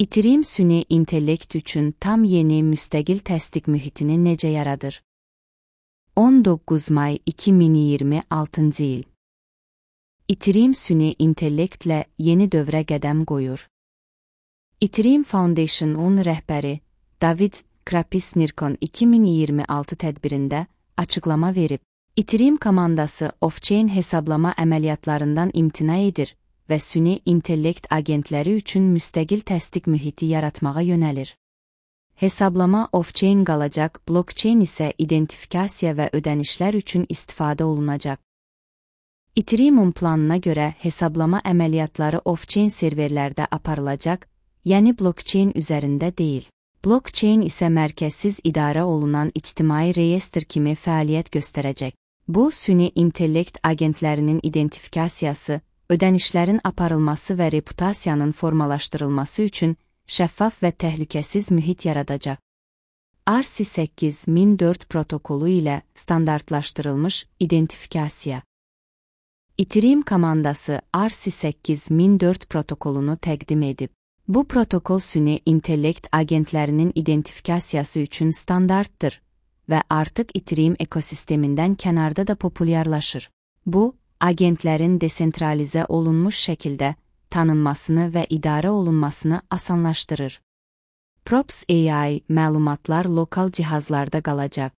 İTRIM süni intellekt üçün tam yeni müstəqil təsdiq mühitini necə yaradır? 19 may 2026 il. İTRIM süni intellektlə yeni dövrə qədəm qoyur. İTRIM Foundation-un rəhbəri David Krapis-Nirkon 2026 tədbirində açıqlama verib. İTRIM komandası off-chain hesablama əməliyyatlarından imtina edir və süni intellekt agentləri üçün müstəqil təsdiq mühiti yaratmağa yönəlir. Hesablama off-chain qalacaq, blockchain isə identifikasiya və ödənişlər üçün istifadə olunacaq. İTRIM-un planına görə hesablama əməliyyatları off-chain serverlərdə aparılacaq, yəni blockchain üzərində deyil. Blockchain isə mərkəzsiz idarə olunan ictimai reyestr kimi fəaliyyət göstərəcək. Bu, süni intellekt agentlərinin identifikasiyası, ödənişlərin aparılması və reputasiyanın formalaşdırılması üçün şəffaf və təhlükəsiz mühit yaradacaq. ERC-8004 protokolu ilə standartlaşdırılmış identifikasiya. İTRIM komandası ERC-8004 protokolunu təqdim edib. Bu protokol süni intellekt agentlərinin identifikasiyası üçün standartdır və artıq İTRIM ekosistemindən kənarda da populyarlaşır. Bu, agentlərin desentralizə olunmuş şəkildə tanınmasını və idarə olunmasını asanlaşdırır. Props AI məlumatlar lokal cihazlarda qalacaq.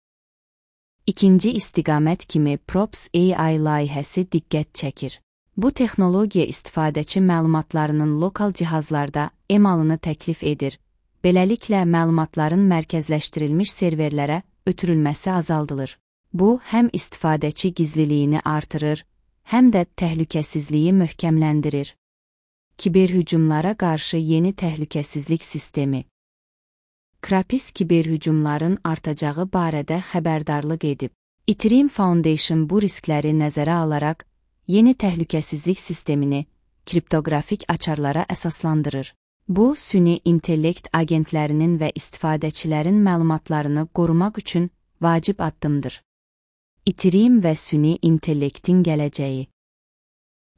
İkinci istiqamət kimi Props AI layihəsi diqqət çəkir. Bu texnologiya istifadəçi məlumatlarının lokal cihazlarda emalını təklif edir. Beləliklə, məlumatların mərkəzləşdirilmiş serverlərə ötürülməsi azaldılır. Bu, həm istifadəçi gizliliyini artırır, həm də təhlükəsizliyi möhkəmləndirir. Kiberhücumlara qarşı yeni təhlükəsizlik sistemi. Krapis kiberhücumların artacağı barədə xəbərdarlıq edib. İTRIM Foundation bu riskləri nəzərə alaraq, yeni təhlükəsizlik sistemini kriptoqrafik açarlara əsaslandırır. Bu, süni intellekt agentlərinin və istifadəçilərin məlumatlarını qorumaq üçün vacib addımdır. İTRIM və süni intellektin gələcəyi.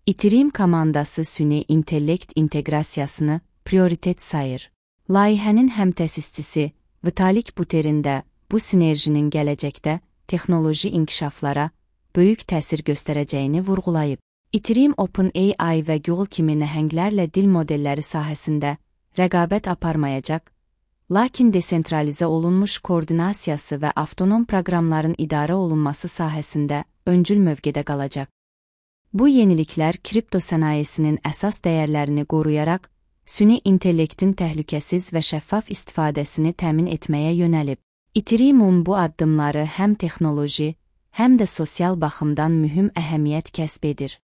İTRIM komandası süni intellekt inteqrasiyasını prioritet sayır. Layihənin həmtəsisçisi Vitalik Buterin də bu sinerjinin gələcəkdə texnoloji inkişaflara böyük təsir göstərəcəyini vurğulayıb. İTRIM OpenAI və Google kimi nəhənglərlə dil modelləri sahəsində rəqabət aparmayacaq, lakin desentralizə olunmuş koordinasiyası və avtonom proqramların idarə olunması sahəsində öncül mövqedə qalacaq. Bu yeniliklər kripto sənayesinin əsas dəyərlərini qoruyaraq, süni intellektin təhlükəsiz və şəffaf istifadəsini təmin etməyə yönəlib. İTRIM-un bu addımları həm texnoloji, həm də sosial baxımdan mühüm əhəmiyyət kəsb edir.